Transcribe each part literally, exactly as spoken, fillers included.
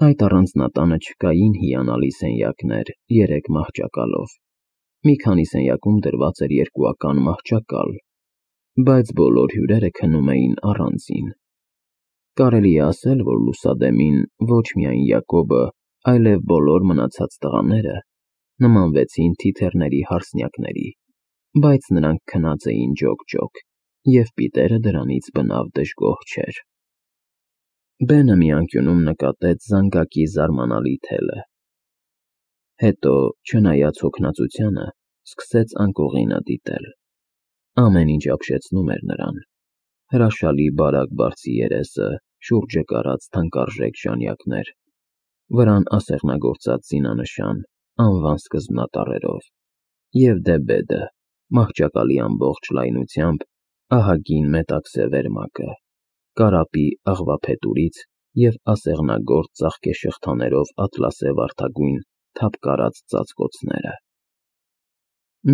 Այդ առանձնատանը չկային հիանալի սենյակներ երեք մահճակալով, մի քանի սենյակում դրված էր երկուական մահճակալ, բայց բոլոր հյուրերը քնում էին առանձին։ Կարելի է ասել, որ լուսադեմին ոչ միայն Յակոբը, այլև բոլոր մնացած տղաները նմանվեցին թիթեռների հարսնյակների, բայց նրանք քնած էին ջոկ-ջոկ, և Պիտերը դրանից բնավ դժգոհ չէր։ Բենը մի անկյունում նկատեց զանգակի զարմանալի թելը։ Հետո, չնայած հոգնածությանը, սկսեց անկողինը դիտել։ Ամեն ինչ ապշեցնում էր նրան. հրաշալի բարակ բարձի երեսը, շուրջը կարած թանկարժեք ժանյակներ, վրան ասեղնագործած զինանշան, անվան սկզբնատառերով, և դե բեդը, մահճակալի ամբողջ լայնությամբ, ահագին մետաքսե վերմակը, կարապի աղվափետուրից և ասեղնագործ ծաղկե շղթաներով ատլասե վարդագույն թափկարած ծածկոցները։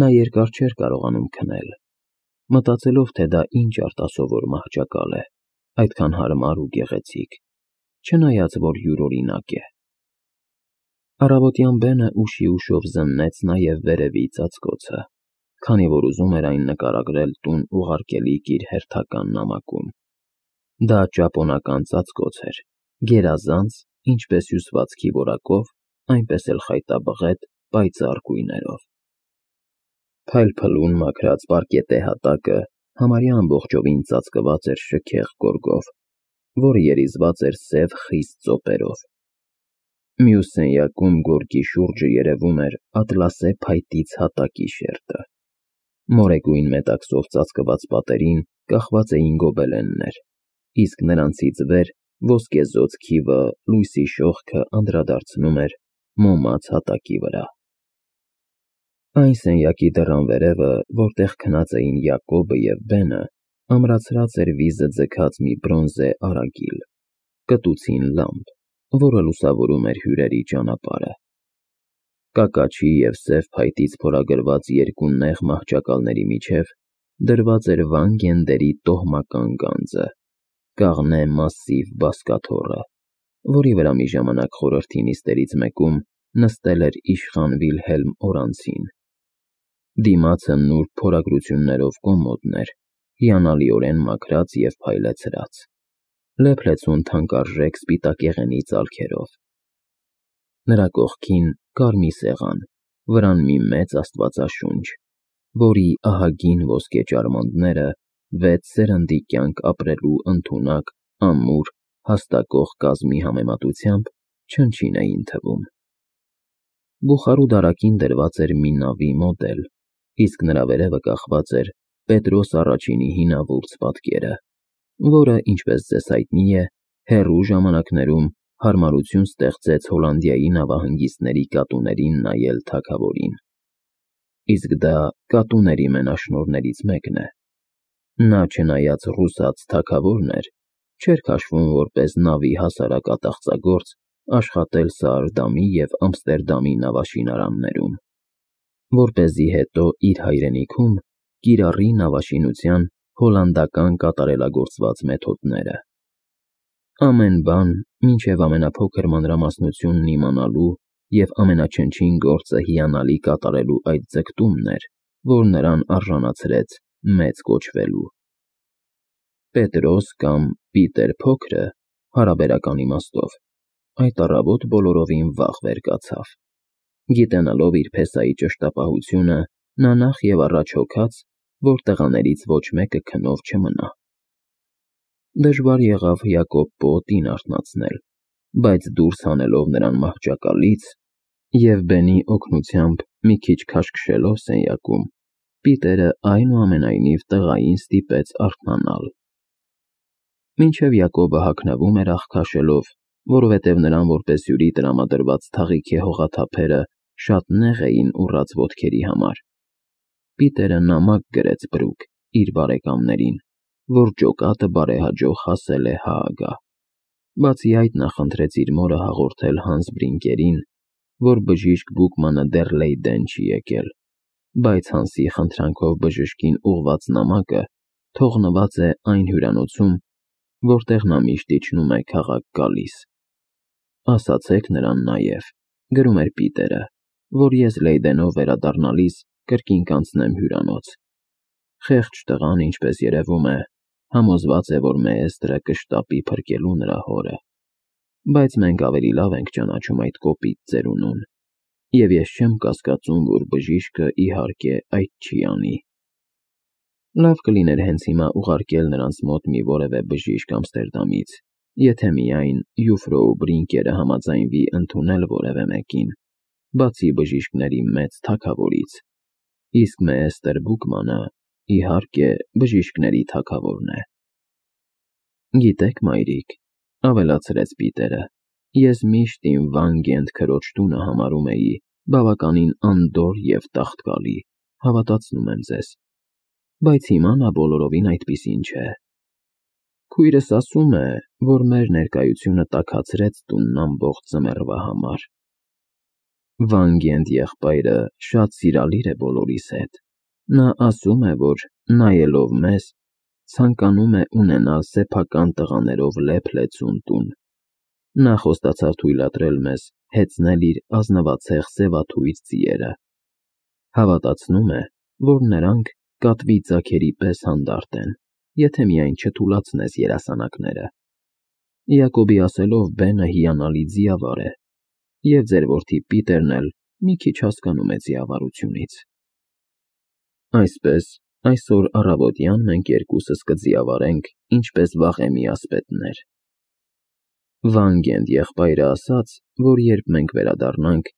Նա երկար չէր կարողանում քնել, մտածելով, թե դա ինչ արտասովոր մահճակալ է, այդքան հարմար ու գեղեցիկ, չնայած որ յուրօրինակ է։ Առավոտյան Բենը ուշի-ուշով զննեց նաև վերևի ծածկոցը, քանի որ ուզում էր այն նկարագրել տուն ուղարկելիք իր հերթական նամակում։ Դա ճապոնական ծածկոց էր, գերազանց, ինչպես հյուսվածքի որակով, այնպես էլ խայտաբղետ, պայծառ գույներով։ Փայլփլուն մաքրած պարկետե հատակը համարյա ամբողջովին ծածկված էր շքեղ գորգով, որը երիզված էր սև խիստ ծոպերով։ Մյուս սենյակում գորգի շուրջը երևում էր ատլասե փայտից հատակի շերտը։ Մորեգույն մետաքսով ծածկված պատերին կախված էին գոբելեններ, իսկ նրանցից վեր ոսկեզօծ քիվը լույսի շողքը անդրադարձնում էր մոմած հատակի վրա։ Այն սենյակի դռան վերևը, որտեղ քնած էին Յակոբը և Բենը, ամրացրած էր վիզը ձգած մի բրոնզե արագիլ, կտուցին լամբ, որը լուսավորում էր հյուրերի ճանապարհը։ Կակաչի և սև փայտից փորագրված երկու նեղ մահճակալների միջև դրված էր Վան Գենդերի տոհմական գանձը, կաղնե մասսիվ բազկաթոռը, որի վրա մի ժամանակ խորհրդի նիստերից մեկում նստել էր իշխան Վիլհելմ Օրանցին։ Դիմացը նուրբ փորագրություններով կոմոդն էր, հիանալիորեն մաքրած և փայլեցրած, լեփլեցուն թանկարժեք սպիտակեղենի ծալքերով։ Նրա կողքին կարմիր սեղան, վրան մի մեծ աստվածաշունչ, որի ահագին ոսկե ճարմանները վեց սերնդի կյանք ապրելու ընդունակ, ամուր, հաստակող կազմի համեմատությամբ չնչին էին թվում։ Բուխարու դարակին դրված էր մի նավի մոդել, իսկ նրա վերևը կախված էր Պետրոս Առաջինի հինավուրց պատկերը, որը, ինչպես ձեզ հայտնի է, հեռու ժամանակներում հարմարություն ստեղծեց Հոլանդիայի նավահանգիստների կատուներին նայել թագավորին։ Իսկ դա կատուների մենաշնորհներից մեկն է։ Նա, չնայած ռուսաց թագավորն էր, չէր քաշվում որպես նավի հասարակ ատաղծագործ աշխատել Սարդամի և Ամստերդամի նավաշինարաններում, որպեսզի հետո իր հայրենիքում կիրառի նավաշինության հոլանդական կատարելագործված մեթոդները։ Ամեն բան, մինչև ամենափոքր մանրամասնությունն իմանալու և ամենաչնչին գործը հիանալի կատարելու այդ ձգտումն էր, որ նրան արժանացրեց մեծ կոչվելու։ Պետրոս կամ Պիտեր Փոքրը, հարաբերական իմաստով, այդ առավոտ բոլորովին վաղ վեր կացավ։ Գիտենալով իր փեսայի ճշտապահությունը, նա նախ և առաջ հոգաց, որ տղաներից ոչ մեկը քնով չմնա։ Դժվար եղավ Յակոբ պոոտին արթնացնել, բայց դուրս հանելով նրան մահճակալից և Բենի օգնությամբ մի քիչ քաշքշելով սենյակում, Պիտերը այնուամենայնիվ տղային ստիպեց արթնանալ։ Մինչև Յակոբը հագնվում էր աղքաշելով, որովհետև նրան որպես հյուրի տրամադրված թաղիքի հողաթափերը շատ նեղ էին ուռած ոտքերի համար, Պիտերը նամակ գրեց բրուկ իր բարեկամներին, որ ջոկատը բարեհաջող հասել է Հաագա։ Բացի այդ, նա խնդրեց իր մորը հաղորդել Հանս Բրինկերին, որ բժիշկ Բուկմանը դեռ Լեյդեն չի եկել, բայց Հանսի խնդրանքով բժշկին ուղղված նամակը թողնված է այն հյուրանոցում, որտեղ նա միշտ իջնում է քաղաք գալիս։ ասացեք նրան նաև, գրում էր Պիտերը, որ ես Լեյդենով վերադառնալիս կրկին կանցնեմ հյուրանոց։ Խեղճ տղան, ինչպես երևում է, համոզված է, որ Մեեստրը կշտապի փրկելու նրա հորը, բայց մենք ավելի լավ ենք ճանաչում այդ կոպիտ ծերունուն, և ես չեմ կասկածում, որ բժիշկը իհարկե այդ չի անի։ Լավ կլիներ հենց հիմա ուղարկել նրանց մոտ մի որևէ բժիշկ Ամստերդամից, եթե միայն Յուֆրոու Բրինկերը համաձայնվի ընդունել որևէ մեկին, բացի բժիշկների մեծ թագավորից, իսկ Մեեստր Բուկմանը, իհարկե, բժիշկների թագավորն է։ Գիտեք, մայրիկ, ավելացրեց Պիտերը, ես միշտ իմ Վանգենդ քրոջ տունը համարում էի բավականին անդորր և տաղտկալի, հավատացնում եմ ձեզ, բայց հիմա նա բոլորովին այդպիսին չէ։ Քույրս ասում է, որ մեր ներկայությունը տաքացրեց տունն ամբողջ ձմեռվա համար։ Վանգենդ եղբայրը շատ սիրալիր է բոլորիս հետ։ Նա ասում է, որ նայելով մեզ, ցանկանում է ունենալ սեփական տղաներով լեփ-լեցուն տուն։ Նա խոստացավ թույլատրել մեզ հեծնել իր ազնվացեղ սևաթույր ձիերը։ Հավատացնում է, որ նրանք կատվի ձագերի պես հանդարտ են, եթե միայն չթուլացնես երասանակները։ Յակոբի ասելով, Բենը հիանալի ձիավար է, և ձեր որդի Պիտերն էլ մի քիչ հասկանում է ձիավարությունից։ Այսպես, այսօր առավոտյան մենք երկուսս կձիավարենք, ինչպես վաղեմի ասպետներ։ Վանգենդ եղբայրը ասաց, որ երբ մենք վերադառնանք,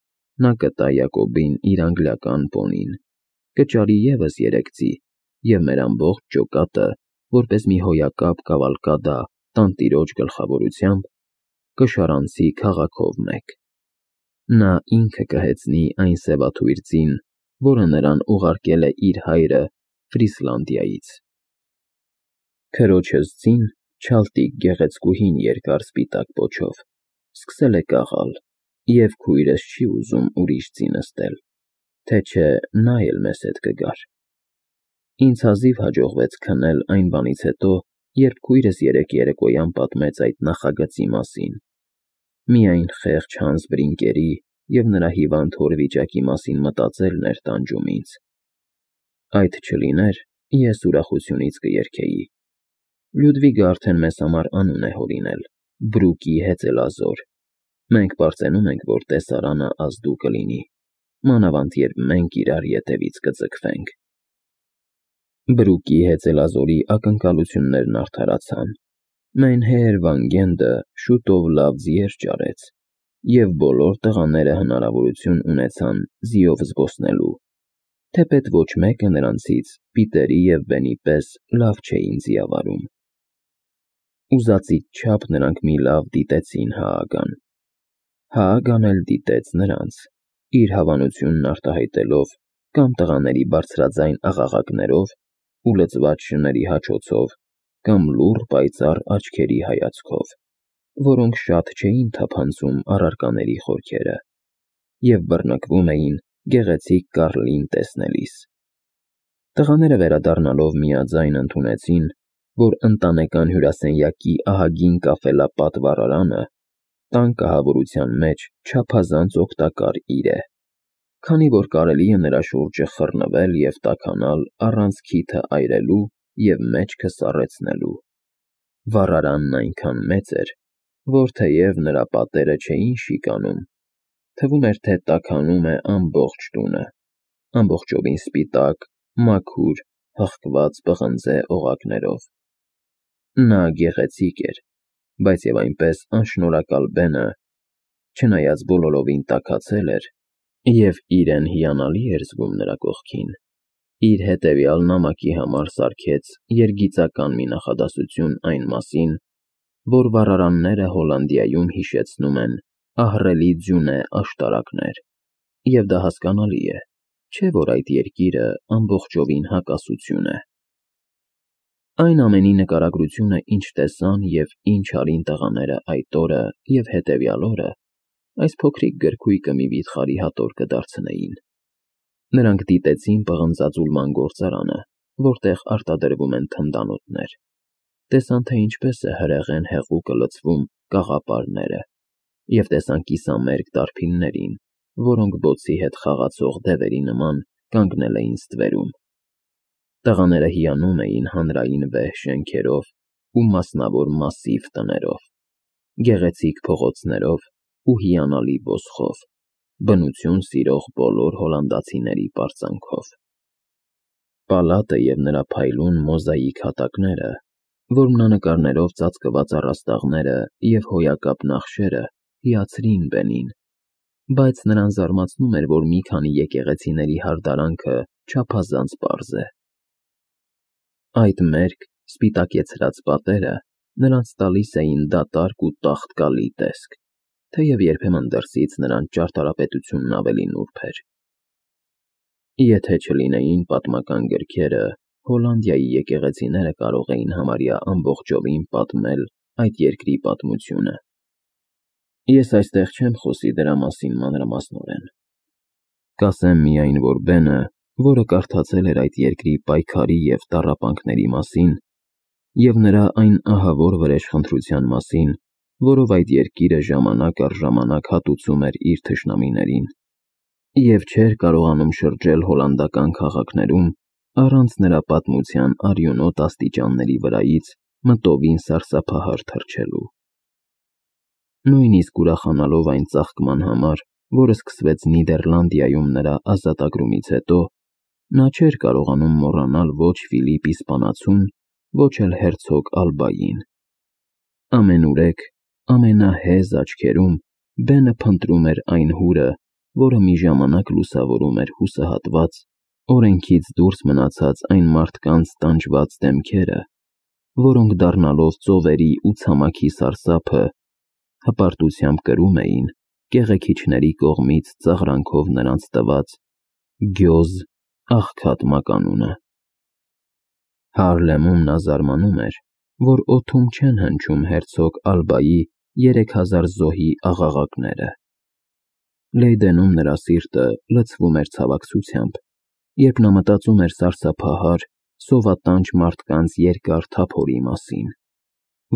նա կտա Յակոբին իր անգլիական պոնին, կճարի ևս երեք ձի, և մեր ամբողջ ջոկատը, որպես մի հոյակապ կավալկադա տանտիրոջ գլխավորությամբ, կշարանցի քաղաքով մեկ։ Նա ինքը կհեծնի այն սևաթույր ձին, որը նրան ուղարկել է իր հայրը Ֆրիսլանդիայից։ Քրոջս ձին, չալտիկ գեղեցկուհին երկար սպիտակ պոչով, սկսել է կաղալ, և քույրս չի ուզում ուրիշ ձի նստել, թե չէ նա էլ մեզ հետ կգար։ Ինձ հազիվ հաջողվեց քնել այն բանից հետո, երբ քույրս երեկ երեկոյան պատմեց այդ նախագծի մասին։ Միայն խեղճ Հանս Բրինկերի և նրա հիվանդ հոր վիճակի մասին մտածելն էր տանջում ինձ։ Այդ չլիներ, ես ուրախությունից կերգեի։ Լյուդվիգը արդեն մեզ համար անուն է հորինել՝ Բրուկի հեծելազոր։ Մենք պարծենում ենք, որ տեսարանը ազդու կլինի, մանավանդ երբ մենք իրար ետևից կձգվենք։ Բրուկի հեծելազորի ակնկալություններն արդարացան։ Մայնհեր Վանգենդը շուտով լավ ձիեր ճարեց, և բոլոր տղաները հնարավորություն ունեցան ձիով զբոսնելու, թեպետ ոչ մեկը նրանցից Պիտերի և Բենի պես լավ չէին ձիավարում։ Ուզածից չափ նրանք մի լավ դիտեցին Հաագան։ Հաագան էլ դիտեց նրանց, իր հավանությունն արտահայտելով կամ տղաների բարձրաձայն աղաղակներով ու լցված շների հաչոցով, կամ լուռ պայծառ աչքերի հայացքով, որոնք շատ չէին թափանցում առարկաների խորքերը, և բռնկվում էին գեղեցիկ Կարլին տեսնելիս։ Տղաները վերադառնալով միաձայն ընդունեցին, որ ընտանեկան հյուրասենյակի ահագին կաֆելապատ վառարանը տան կահավորության մեջ չափազանց օգտակար իր է, քանի որ կարելի է նրա շուրջը խռնվել և տաքանալ առանց քիթը այրելու և մեջքը սառեցնելու։ Վառարանն այնքան մեծ էր, որ թեև նրա պատերը չէին շիկանում, թվում էր, թե տաքանում է ամբողջ տունը, ամբողջովին սպիտակ, մաքուր, հղկված պղնձե օղակներով։ Նա գեղեցիկ էր, բայց և այնպես անշնորհակալ Բենը, չնայած բոլորովին տաքացել էր և իրեն հիանալի էր զգում նրա կողքին, իր հետևյալ նամակի համար սարքեց երգիծական մի նախադասություն այն մասին, որ վառարանները Հոլանդիայում հիշեցնում են ահռելի ձյունե աշտարակներ, և դա հասկանալի է, չէ՞ որ այդ երկիրը ամբողջովին հակասություն է։ Այն ամենի նկարագրությունը, ինչ տեսան և ինչ արին տղաները այդ օրը և հետևյալ օրը, այս փոքրիկ գրքույկը մի վիթխարի հատոր կդարձնեին։ Նրանք դիտեցին պղնձաձուլման գործարանը, որտեղ արտադրվում են թնդանոթներ, տեսան, թե ինչպես է հրեղեն հեղուկը լցվում կաղապարները, և տեսան կիսամերկ դարբիններին, որոնք բոցի հետ խաղացող դևերի նման կանգնել էին ստվերում։ Տղաները հիանում էին հանրային վեհ շենքերով ու մասնավոր մասսիվ տներով, գեղեցիկ փողոցներով ու հիանալի ոսկով, բնություն սիրող բոլոր հոլանդացիների պարծանքով։ Պալատը և նրա փայլուն մոզաիկ հատակները, որմնանկարներով ծածկված առաստաղները և հոյակապ նախշերը հիացրին Բենին, բայց նրան զարմացնում էր, որ մի քանի եկեղեցիների հարդարանքը չափազանց պարզ է։ Այդ մերկ, սպիտակեցրած պատերը նրանց տալիս էին դատարկ ու տաղտկալի տեսք, թեև երբեմն դրսից նրանց ճարտարապետությունն ավելի նուրբ էր։ Եթե չլինեին պատմական գրքերը, Հոլանդիայի եկեղեցիները կարող էին համարյա ամբողջովին պատմել այդ երկրի պատմությունը։ Ես այստեղ չեմ խոսի դրա մասին մանրամասնորեն։ Կասեմ միայն, որ Բենը, որը կարդացել էր այդ երկրի պայքարի և տառապանքների մասին, և նրա այն ահավոր վրեժխնդրության մասին, որով այդ երկիրը ժամանակ առ ժամանակ հատուցում էր իր թշնամիներին, և չէր կարողանում շրջել հոլանդական քաղաքներում առանց նրա պատմության արյունոտ աստիճանների վրայից մտովին սարսափահար թռչելու։ Նույնիսկ ուրախանալով այն ծաղկման համար, որը սկսվեց Նիդերլանդիայում նրա ազատագրումից հետո, նա չէր կարողանում մոռանալ ոչ Ֆիլիպ իսպանացուն, ոչ էլ հերցոգ Ալբային։ Ամենուրեք, ամենահեզ աչքերում Բենը փնտրում էր այն հուրը, որը մի ժամանակ լուսավորում էր հուսահատված, օրենքից դուրս մնացած այն մարդկանց տանջված դեմքերը, որոնք դառնալով ծովերի ու ցամաքի սարսափը, հպարտությամբ կրում էին կեղեքիչների կողմից ծաղրանքով նրանց տված գյոզ աղքատ մականունը։ Հարլեմում նա զարմանում էր, որ օդում չեն հնչում հերցոգ Ալբայի երեք հազար զոհի աղաղակները։ Լեյդենում նրա սիրտը լցվում էր ցավակցությամբ, երբ նա մտածում էր սարսափահար, սովատանջ մարդկանց երկար թափորի մասին,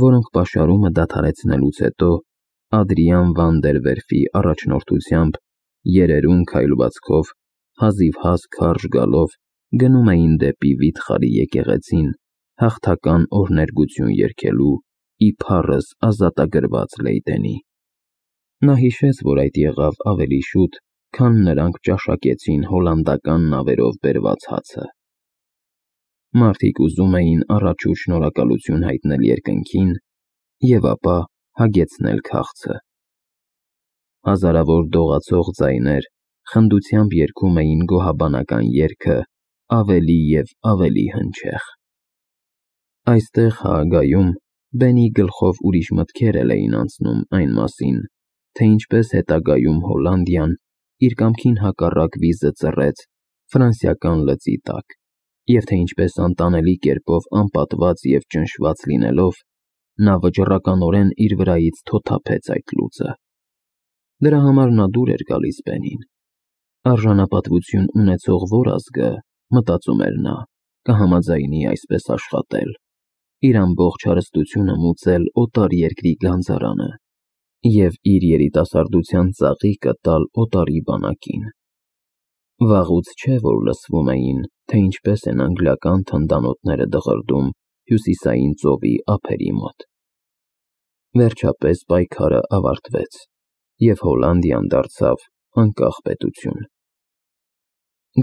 որոնք պաշարումը դադարեցնելուց հետո Ադրիան վան դեր Վերֆի առաջնորդությամբ երերուն քայլվածքով, հազիվհազ քարշ գալով գնում էին դեպի վիթխարի եկեղեցին հաղթական օրհներգություն երգելու ի փառս ազատագրված Լեյդենի։ Նա հիշեց, որ այդ եղավ ավելի շուտ, քան նրանք ճաշակեցին հոլանդական նավերով բերված հացը։ Մարդիկ ուզում էին առաջուց շնորհակալություն հայտնել երկնքին և ապա հագեցնել քաղցը։ Հազարավոր դողացող ձայներ խնդությամբ երգում էին գոհաբանական երգը ավելի և ավելի հնչեղ։ Այստեղ Հաագայում Բենի գլխով ուրիշ մտքեր էլ էին անցնում այն մասին, թե ինչպես հետագայում Հոլանդիան իր կամքին հակառակ վիզը ծռեց ֆրանսիական լծի տակ, և թե ինչպես անտանելի կերպով անպատված և ճնշված լինելով, նա վճռականորեն իր վրայից թոթափեց այդ լուծը։ Դրա համար նա դուր էր գալիս Բենին։ Արժանապատվություն ունեցող որ ազգը, մտածում էր նա, կհամաձայնի այսպես աշխատել, իր ամբողջ հարստությունը մուծել օտար երկրի գանձարանը և իր երիտասարդության ծաղիկը տալ օտարի բանակին։ Վաղուց չէ, որ լսվում էին, թե ինչպես են անգլիական թնդանոթները դղրդում Հյուսիսային ծովի ափերի մոտ։ Վերջապես պայքարը ավարտվեց, և Հոլանդիան դարձավ անկախ պետություն։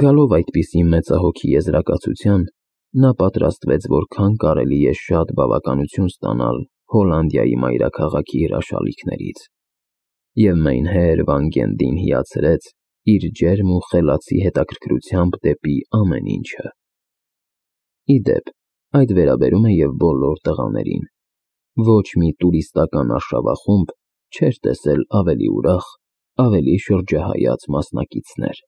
Գալով այդպիսի մեծահոգի եզրակացության, նա պատրաստվեց որքան կարելի է շատ բավականություն ստանալ Հոլանդիայի մայրաքաղաքի հրաշալիքներից, և Մեյնհեր Վան Գենդին հիացրեց իր ջերմ ու խելացի հետաքրքրությամբ դեպի ամեն ինչը։ Ի դեպ, այդ վերաբերում է և բոլոր տղաներին։ Ոչ մի տուրիստական արշավախումբ չէր տեսել ավելի ուրախ, ավելի շրջահայաց մասնակիցներ։